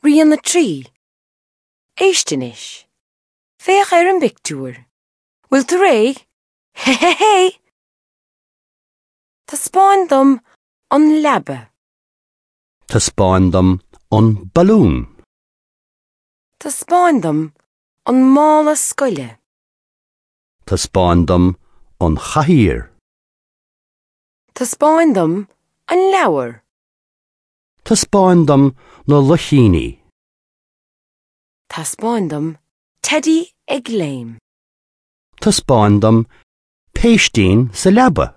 Rian 3. Éist anois. Féach ar an bpictiúr. Bhfuil tú réidh? Hé hé hé! Taispeáin dom an leaba. Taispeáin dom an balún. Taispeáin dom an mála scoile. Taispeáin dom an chathaoir. Taispeáin dom an leabhar. Taispeáin dom na luichíní. Taispeáin dom Teidí ag léim. Taispeáin dom péistín sa leaba.